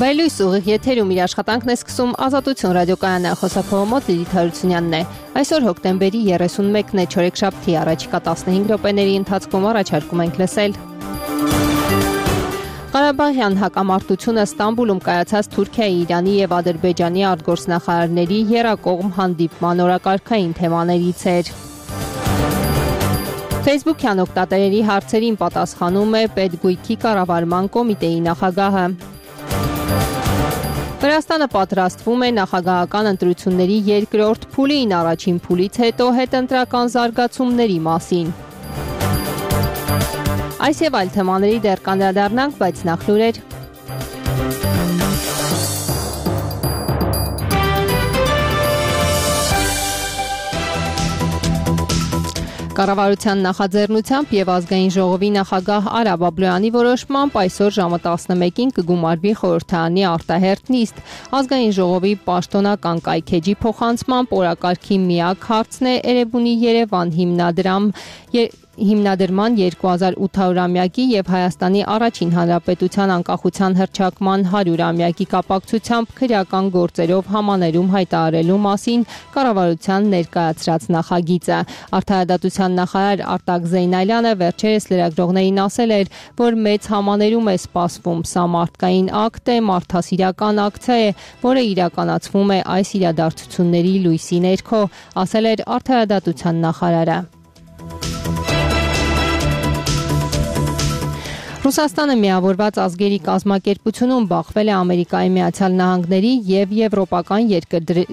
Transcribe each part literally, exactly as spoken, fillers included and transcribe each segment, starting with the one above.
Վայելույս ուղիղ եթերում իր աշխատանքն է սկսում Ազատություն ռադիոկայանը, խոսափողը մոտ Լիլիթ Հարությունյանն է։ Այսօր հոկտեմբերի երեսունմեկն է, չորեքշաբթի, առաջիկա տասնհինգ րոպեների ընթացքում առաջարկում ենք լսել. Ղարաբաղյան հակամարտությունը Ստամբուլում կայացած Թուրքիայի, Իրանի և Ադրբեջանի արտգործնախարարների եռակողմ հանդիպման օրակարգային թեմաներից էր։ Facebook-յան օգտատերերի հարցերին պատասխանում է Պետգույքի կառավարման կոմիտեի նախագահը։ Վրաստանը պատրաստվում է նախագահական ընտրությունների երկրորդ փուլին, առաջին փուլից հետո հետընտրական զարգացումների մասին։ Այս և այլ թեմաների դեռ կանդրադառնանք, բայց նախ լուրեր։ Կառավարության նախաձեռնությամբ և ազգային ժողովի նախագահ Արա Բաբլոյանի որոշմամբ այսօր ժամը տասնմեկին կգումարվի խորհրդարանի արտահերթ նիստ։ Ազգային ժողովի պաշտոնական կայքէջի փոխանցմամբ օրակարգի միակ հարցն է Էրեբունի Երևան հիմնադրամ հիմնադրման երկու հազար ութ-ամյակի և Հայաստանի առաջին հանրապետության անկախության հռչակման հարյուրամյակի կապակցությամբ քրեական գործերով համաներում հայտարարելու մասին կառավարության ներկայացրած նախագիծը։ Արդարադատության նախարար Արտակ Զեյնալյանը վերջերս լրագրողներին ասել էր, որ մեծ համաներում է սպասվում։ Սա մարդկային ակտ է, մարդասիրական ակցիա է, որը իրականացվում է այս իրադարձությունների լույսի ներքո, ասել էր արդարադատության նախարարը։ Ռուսաստանը միավորված ազգերի կազմակերպությունում բախվել է Ամերիկայի Միացյալ Նահանգների և եվրոպական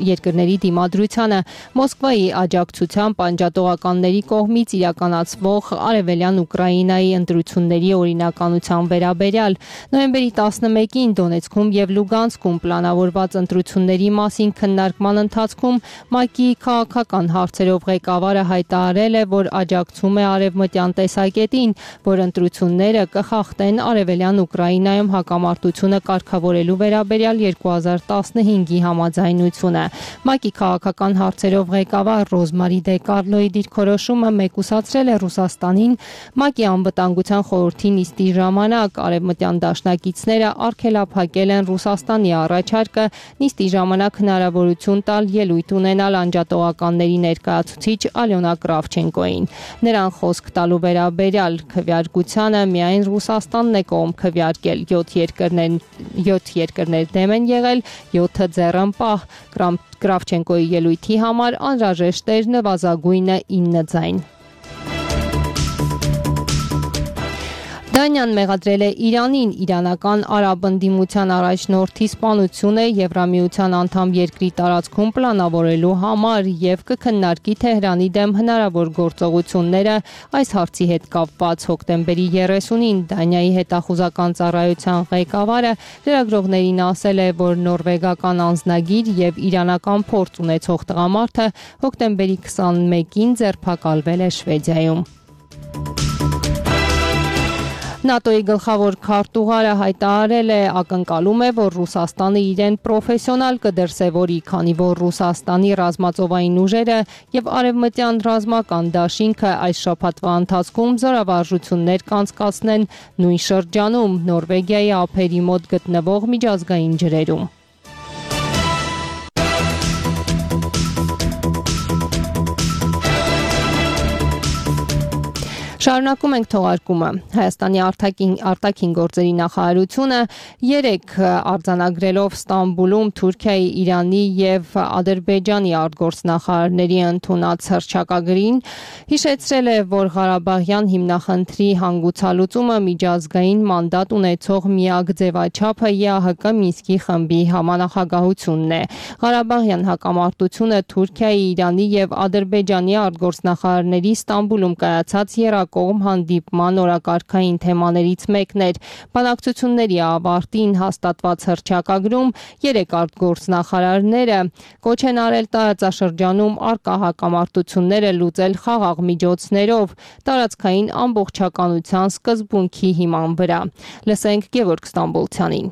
երկրների դիմադրությանը Մոսկվայի աջակցությամբ անջատողականների կողմից իրականացվող Արևելյան Ուկրաինայի ընտրությունների օրինականության վերաբերյալ։ Նոյեմբերի տասնմեկին Դոնեցկում և Լուգանսկում պլանավորված ընտրությունների մասին քննարկման ընթացքում ՄԱԿ-ի քաղաքական հարցերով ղեկավարը հայտարարել է, որ աջակցում է արևմտյան տեսակետին, որ ընտրությունները կխ խախտեն Արևելյան Ուկրաինայում հակամարտությունը կարգավորելու վերաբերյալ երկու հազար տասնհինգի համաձայնությունը։ ՄԱԿ-ի քաղաքական հարցերով ղեկավար Ռոզմարի Դե Կարլոյի դիրքորոշումը մեկուսացրել է Ռուսաստանին ՄԱԿ-ի անվտանգության խորհրդի նիստի ժամանակ։ Արևմտյան դաշնակիցները արգելափակել են Ռուսաստանի առաջարկը նիստի ժամանակ հնարավորություն տալ ելույթ ունենալ անջատողականների ներկայացուցիչ Ալյոնա Կրավչենկոին։ Նրան խոսք տալու վերաբերյալ քվեարկությանը միայն Ռուսաստանն է կողմ քվեարկել, յոթ երկրներ, յոթ երկրներ դեմ են եղել, յոթը ձեռնպահ։ Կրավչենկոյի ելույթի համար անհրաժեշտ էր նվազագույնը ինը ձայն։ Դանիան մեղադրել է Իրանին իրանական արաբ ընդդիմության առաջնորդի սպանությունը Եվրամիության անդամ երկրի տարածքում պլանավորելու համար և կքննարկի Թեհրանի դեմ հնարավոր գործողությունները այս հարցի հետ կապված։ Հոկտեմբերի երեսունին Դանիայի հետախուզական ծառայության ղեկավարը լրագրողներին ասել է, որ նորվեգական անձնագիր և իրանական փորձ ունեցող տղամարդը հոկտեմբերի քսանմեկին ձերբակալվել է Շվեդիայում։ ՆԱՏՕ-ի գլխավոր քարտուղարը հայտարարել է, ակնկալում է, որ Ռուսաստանը իրեն պրոֆեսիոնալ կդրսևորի, քանի որ Ռուսաստանի ռազմածովային ուժերը և արևմտյան ռազմական դաշինքը այս շաբաթվա ընթացքում զորավարժություններ կանցկացնեն նույն շրջանում Նորվեգիայի ափերի մոտ գտնվող միջազգային ջրերում։ Շարունակում ենք թողարկումը։ Հայաստանի արտաքին, արտաքին գործերի նախարարությունը երեկ արձանագրելով Ստամբուլում Թուրքիայի, Իրանի և Ադրբեջանի արտգործնախարարների ընդունած հռչակագրին հիշեցրել է, որ Ղարաբաղյան հիմնախնդրի հանգուցալուծումը միջազգային մանդատ ունեցող միակ ձևաչափը ԵԱՀԿ Մինսկի խմբի համանախագահությունն է։ Ղարաբաղյան հակամարտությունը Թուրքիայի, Իրանի և Ադրբեջանի արտգործնախարարների Ստամբուլում կայացած եռակողմ կողմ հանդիպման օրակարգային թեմաներից մեկն էր։ Բանակցությունների ավարտին հաստատված հռչակագրում երեք արտգործնախարարները կոչ են արել տարածաշրջանում առկա հակամարտությունները լուծել խաղաղ միջոցներով տարածքային ամբողջականության սկզբունքի հիման վրա։ Լսենք Գևորգ Ստամբոլցյանին։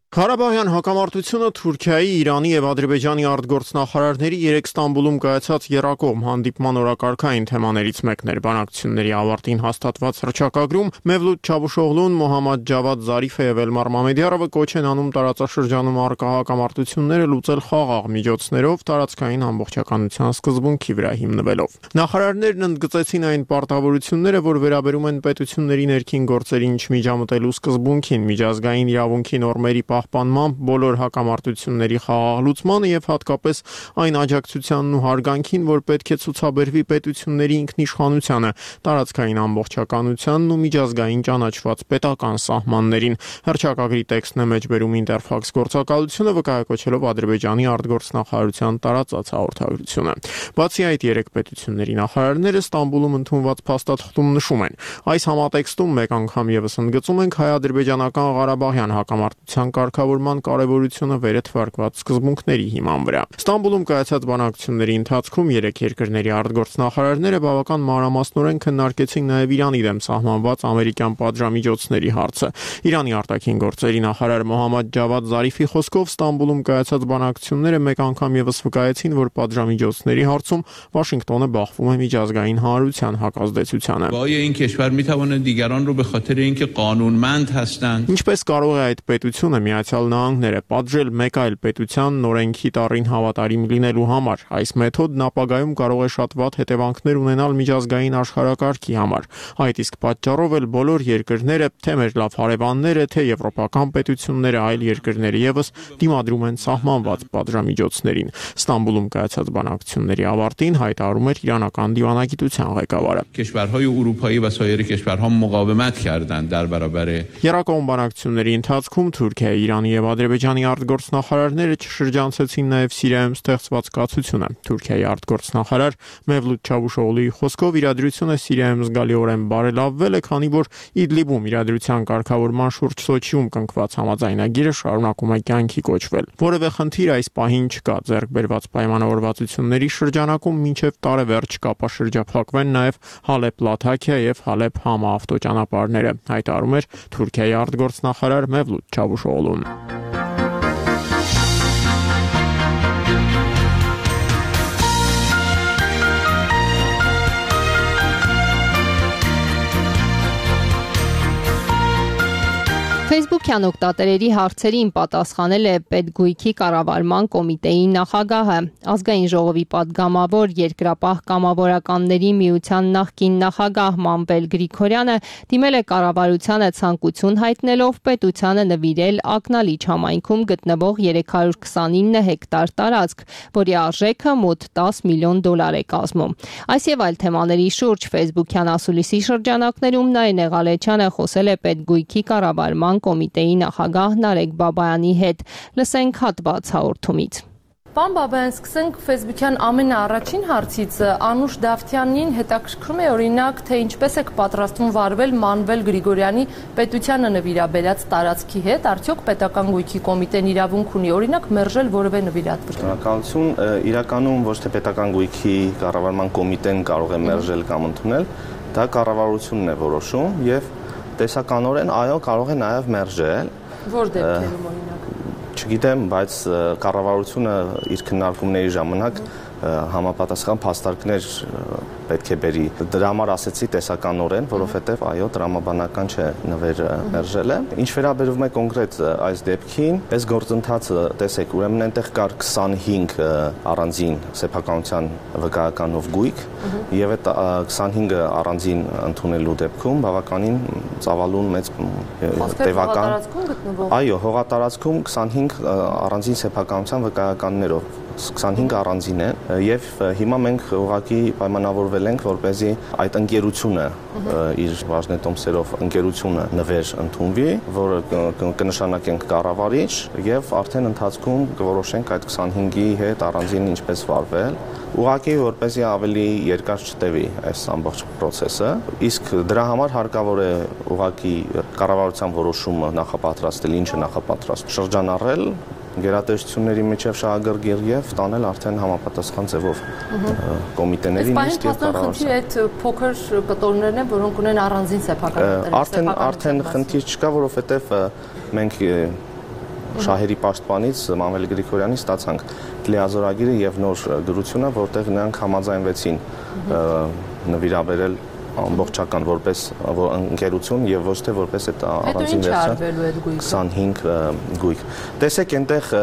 Ղարաբաղյան հակամարտությունը Թուրքիայի, Իրանի եւ Ադրբեջանի արտգործնախարարների երեք Ստամբուլում կայացած եռակողմ հանդիպման օրակարգային թեմաներից մեկն էր։ Բանակցությունների ավարտին հաստատված հռչակագրում Մևլութ Չավուշօղլուն, Մոհամմադ Ջավադ Զարիֆը եւ Էլմար Մամեդյարովը կոչ են անում տարածաշրջանում առկա հակամարտությունները լուծել խաղաղ միջոցներով տարածքային ամբողջականության սկզբունքի վրա հիմնվելով։ Նախարարներն ընդգծեցին այն պարտավորությունները, որ վերաբերում են պետությունների ներքին գործերին չմիջամտելու սկզբունքին, միջազգային իրավունքի նորմերի պահպանմամբ, բոլոր հակամարտությունների խաղաղ լուծմանը եւ հատկապես այն աջակցությանն ու հարգանքին, որ պետք է ցուցաբերվի պետությունների ինքնիշխանությանը, տարածքային ամբողջականությանն ու միջազգային ճանաչված պետական սահմաններին։ Հռչակագրի տեքստն է մեջբերում Ինտերֆաքս գործակալությունը, վկայակոչելով Ադրբեջանի արտգործնախարարության տարածած հաղորդագրությունը։ Բացի այդ, երեք պետությունների նախարարները Ստամբուլում ընդունված փաստաթղթում նշում են. այս համատեքստում մեկ անգամ եւս ընդգծում ենք հայ-ադրբեջանական Ղարաբաղյան հակամարտության կարգավորման կարևորությունը վերը թվարկված սկզբունքների հիման վրա։ Ստամբուլում կայացած բանակցությունների ընթացքում երեք երկրների արտգործնախարարները բավական մանրամասնորեն քննարկեցին նաև Իրանի դեմ սահմանված ամերիկյան պատժամիջոցների հարցը։ Իրանի արտաքին գործերի նախարար Մոհամմադ Ջավադ Զարիֆի խոսքով Ստամբուլում կայացած բանակցությունները մեկ անգամ եւս վկայեցին, որ պատժամիջոցների հարցում Վաշինգտոնը բախվում է միջազգային հանրության հակազդեցությանը։ Ինչպես կարող է այդ պետությունը Միացյալ Նահանգները պատժել մեկ այլ պետության նորենքի տառին հավատարիմ լինելու համար։ Այս մեթոդն ապագայում կարող է շատ վատ հետևանքներ ունենալ միջազգային աշխարհակարգի համար։ Այդ իսկ պատճառով էլ բոլոր երկրները, թե մեր լավ հարևանները, թե եվրոպական պետությունները, այլ երկրները եւս դիմադրում են սահմանված պատժամիջոցներին։ Ստամբուլում կայացած բանակցությունների ավարտին հայտարարում էր իրանական դիվանագիտության ղեկավարը։ Եռակողմ բանակցությունների ընթացքում Թուրքիայի, Իրանի եւ Ադրբեջանի արտգործնախարարները չշրջանցեցին նաեւ Սիրիայում ստեղծված կացությունը։ Թուրքիայի արտգործնախարար Մևլութ Չավուշօղլուի խոսքով իրադրությունը Սիրիայում զգալիորեն բարելավվել է, քանի որ Իդլիբում իրադրության կարգավորման շուրջ Սոչիում կնքված համաձայնագիրը շարունակում է կյանքի կոչվել։ Որևէ խնդիր այս պահին չկա։ Ձեռք բերված պայմանավորվածությունների շրջանակում մինչև տարեվերջ կապաշրջափակվեն նաեւ Հալեբ-Լաթաքիա եւ Հալեբ-Համա ավտոճանապարհները, հայտարարում էր Թուրքիայի արտգործնախարար Մևլութ Չավուշօղլուն։ Facebook-յան օգտատերերի հարցերին պատասխանել է Պետգույքի կառավարման կոմիտեի նախագահը։ Ազգային ժողովի պատգամավոր Երկրապահ կամավորականների միության նախկին նախագահ Մանվել Գրիգորյանը դիմել է կառավարությանը ցանկություն հայտնելով պետությանը նվիրել Ակնալիչ համայնքում գտնվող երեք հարյուր քսանինը հեկտար տարածք, որի արժեքը մոտ տասը միլիոն դոլար է կազմում։ Այս եւ այլ թեմաների շուրջ Facebook-յան ասուլիսի շրջանակներում Նարինե Ղալեչյանը խոսել է Պետգույքի կառավարման կոմիտեի նախագահ Նարեկ Բաբայանի հետ։ Լսենք հատված հաղորդումից։ Պարոն Բաբայան, սկսենք Facebook-յան ամենաառաջին հարցից։ Անուշ Դավթյանին հետաքրքրում է օրինակ, թե ինչպես եք պատրաստվում վարվել Մանվել Գրիգորյանի պետությանը նվիրաբերած տարածքի հետ, արդյոք պետական գույքի կոմիտեն իրավունք ունի օրինակ մերժել որևէ նվիրատվություն։ Շնորհակալություն, իրականում ոչ թե պետական գույքի կառավարման կոմիտեն կարող է մերժել կամ ընդունել, դա կառավարությունն է որոշում եւ տեսականորեն այո կարող է նաև մերժել։ Որ դեպքերում օրինակ։ Չգիտեմ, բայց կառավարությունը իր քննարկումների ժամանակ համապատասխան փաստարկներ պետք է բերի։ Դրա համար ասեցի տեսականորեն, որովհետև այո, տրամաբանական չէ նվերը մերժելը։ Ինչ վերաբերում է կոնկրետ այս դեպքին, այս գործընթացը, տեսեք, ուրեմն այնտեղ կար քսանհինգ առանձին սեփականության վկայականով գույք, եւ այդ քսանհինգը առանձին ընդունելու դեպքում բավականին ծավալուն մեծ տևական։ Այո, հողատարածքում քսանհինգ առանձին սեփականության վկայականներով քսանհինգ առանձին են եւ հիմա մենք ուղղակի պայմանավորվել ենք, որպեսզի այդ ընկերությունը իր բաժնետոմսերով ընկերությունը նվեր ընդունվի, որը կնշանակենք կառավարիչ եւ արդեն ընթացքում կորոշենք այդ քսանհինգի հետ առանձին ինչպես վարվել, ուղղակի որպեսզի ավելի երկար չտևի այս ամբողջ process-ը, իսկ դրա համար հարկավոր է ուղղակի կառավարության որոշումը նախապատրաստել, ինչը նախապատրաստ շրջանառել գերատեսչությունների միջև շահագրգիռ եւ տանել արդեն համապատասխան ձևով կոմիտեներին իսկ եւ կառավարության։ Այդ փոքր կտորներն են, որոնք ունեն առանձին սեփականատեր։ Արդեն արդեն խնդիր չկա, որովհետեւ մենք Շահերի պաշտպանից Մանվել Գրիգորյանի ստացանք լիազորագիրը եւ նոր գրությունը, որտեղ նրանք համաձայնվեցին նվիրաբերել ամբողջական որպես ընկերություն եւ ոչ թե որպես այդ առանձին վերսիա քսանհինգ գույք։ Տեսեք այնտեղ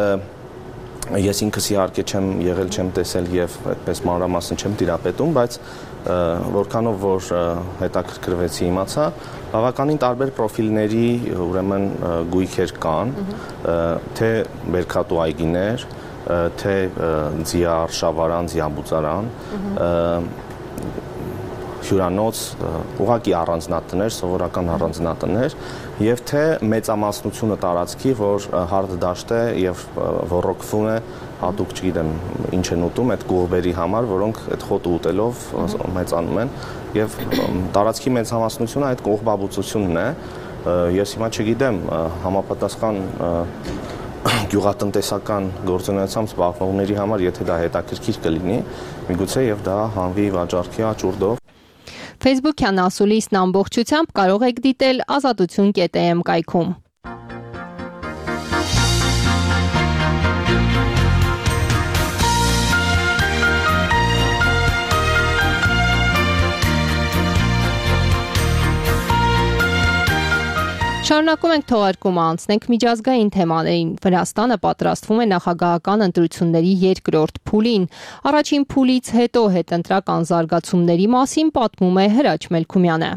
ես ինքս իհարկե չեմ եղել, չեմ տեսել եւ այդպես մանրամասն չեմ տիրապետում, բայց որքանով որ հետաքրքրվեցի իմացա, բավականին տարբեր պրոֆիլների ուրեմն գույքեր կան, թե բերքատու այգիներ, թե ձիար, շավարան, ձիաբուծարան, հյուրանոց, ուղղակի առանձնատներ, սովորական առանձնատներ եւ թե մեծամասնությունը տարածքի, որ հարթ դաշտ է եւ ռոռոկվում է, հատուկ չգիտեմ ինչ են ուտում այդ գողբերի համար, որոնք այդ խոտը ուտելով մեծանում են եւ տարածքի մեծամասնությունը այդ կողբաբուծությունն է։ Ես հիմա չգիտեմ համապատասխան գյուղատնտեսական գործունեությամբ զբաղվողների համար, եթե դա հետաքրքիր կլինի, միգուցե եւ դա հանվի վաճառքի աճուրդով։ Facebook-յան ասուլիսն ամբողջությամբ կարող եք դիտել ազատություն կետ է էմ կայքում։ Շարունակում ենք թողարկումը, անցնենք միջազգային թեմաներին։ Վրաստանը պատրաստվում է նախագահական ընտրությունների երկրորդ փուլին։ Առաջին փուլից հետո հետընտրական զարգացումների մասին պատմում է Հրաչ Մելքումյանը։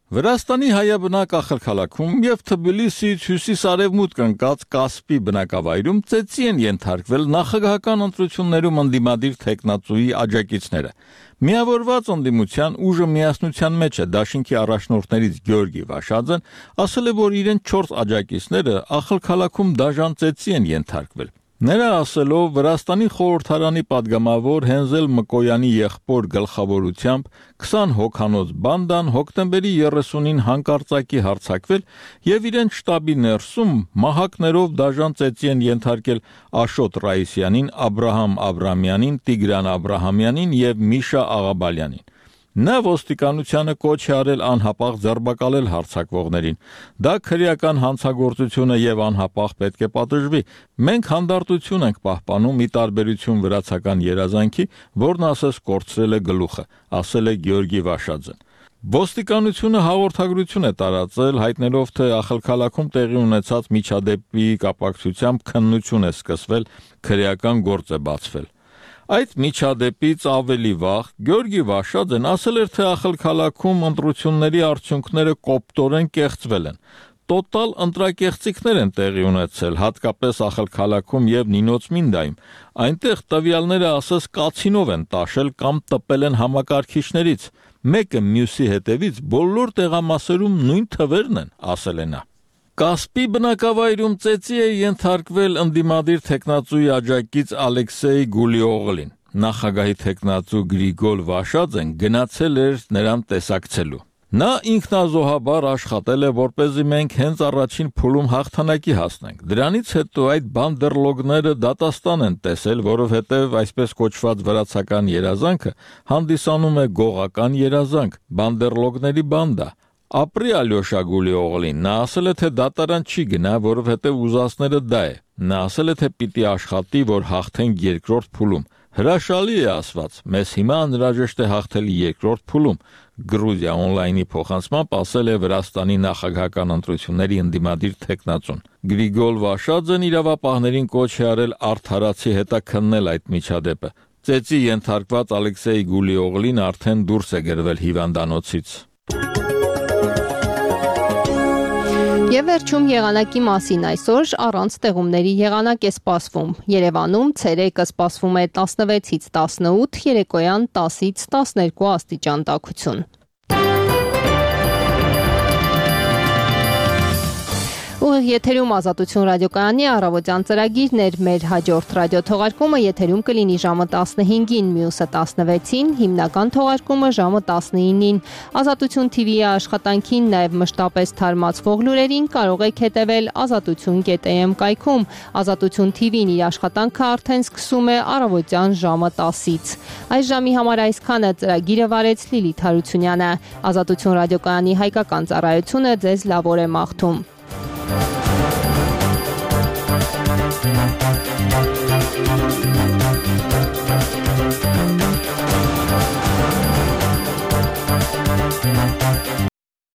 Վրաստանի հայաբնակ ախալքալաքում եւ Թբիլիսիից հյուսիս-արևմուտք ընկած Կասպի բնակավայրում ծեծի են ենթարկվել նախագահական ընտրություններում ընդդիմադիր թեկնածուի աջակիցները։ Միավորված ընդդիմության ուժը միասնության մեջ է, դաշինքի առաջնորդներից Գյորգի Վաշաձեն ասել է, որ իրեն չորս աջակիցները ախալքալաքում դաժան ծեծի են ենթարկվել։ Նրա ասելով Վրաստանի խորհրդարանի падգամավոր Հենզել Մկոյանի եղբոր գլխավորությամբ քսան հոգանոց բանդան հոկտեմբերի երեսունին հանկարծակի հարձակվել եւ իրեն շտաբի ներսում մահակներով դաժան ծեծի են ենթարկել Աշոտ Ռայիսյանին, Աբրահամ Աբրամյանին, Տիգրան Աբրահամյանին եւ Միշա Աղաբալյանին։ Նա ոստիկանությանը կոչ է արել անհապաղ ձերբակալել հարձակվողներին։ Դա քրեական հանցագործություն է եւ անհապաղ պետք է պատժվի։ Մենք հանդարտություն ենք պահպանում՝ ի տարբերություն վրացական երազանքի, որն ասես կորցրել է գլուխը, ասել է Գյորգի Վաշաձեն։ Ոստիկանությունը հաղորդագրություն է տարածել, հայտնելով, թե ախալքալաքում տեղի ունեցած միջադեպի կապակցությամբ քննություն է սկսվել, քրեական գործ է բացվել։ Այդ միջադեպից ավելի վաղ Գյորգի Վաշաձեն ասել էր, թե ախալքալաքում ընտրությունների արդյունքները կոպտորեն կեղծվել են։ Տոտալ ընտրակեղծիքներ են տեղի ունեցել, հատկապես ախալքալաքում եւ Նինոց Մինդայում։ Այնտեղ տվյալները ասես կացինով են տաշել կամ տպել են համակարգիչներից։ Մեկը մյուսի հետևից բոլոր տեղամասերում նույն թվերն են, ասել է նա։ Կասպի բնակավայրում ծեծի է ենթարկվել ընդդիմադիր թեկնածուի աջակից Ալեքսեյ Գուլիօղլին։ Նախագահի թեկնածու Գրիգոր Վաշաձեն գնացել էր նրան տեսակցելու։ Նա ինքնազոհաբար աշխատել է, որպեսզի մենք հենց առաջին փուլում հաղթանակի հասնենք։ Դրանից հետո այդ բանդերլոգները դատաստան են տեսել, որովհետև այսպես կոչված վրացական երազանքը հանդիսանում է գողական երազանք, բանդերլոգների բանդա։ Ապրի Ալյոշա Գուլիօղլին, նա ասել է, թե դատարան չի գնա, որովհետև ուզածները դա է։ Նա ասել է, թե պիտի աշխատի, որ հաղթենք երկրորդ փուլում։ Հրաշալի է ասված, մեզ հիմա անհրաժեշտ է հաղթել երկրորդ փուլում։ Գրուզիա օնլայնի փոխանցմամբ ասել է Վրաստանի նախագահական ընտրությունների ընդդիմադիր թեկնածուն։ Գրիգոր Վաշաձեն իրավապահներին կոչ է արել արդարացի հետաքննել այդ միջադեպը։ Ծեծի ենթարկված Ալեքսեյ Գուլիօղլին արդեն դուրս է գրվել հիվանդանոցից։ Եվ վերջում եղանակի մասին այսօր առանց տեղումների եղանակ է սպասվում։ Երևանում ցերեկը սպասվում է տասնվեցից տասնութ, երեկոյան տասից տասներկու աստիճան տաքություն։ Ուղիղ եթերում Ազատություն ռադիոկայանի առավոտյան ծրագիրն էր, մեր հաջորդ ռադիոթողարկումը եթերում կլինի ժամը տասնհինգին, մյուսը տասնվեցին, հիմնական թողարկումը ժամը տասնինին։ Ազատություն թիվի աշխատանքին, նաև մշտապես թարմացվող լուրերին կարող եք հետևել ազատություն կետ է էմ կայքում։ Ազատություն թիվին իր աշխատանքը արդեն սկսում է առավոտյան ժամը տասից։ Այս ժամի համար այսքանը, ծրագիրը վարեց Լիլիթ Հարությունյանը։ Ազատություն ռադիոկայանի հայկական ծառայությունը ձեզ լավ օր է մաղթում։ Thank you.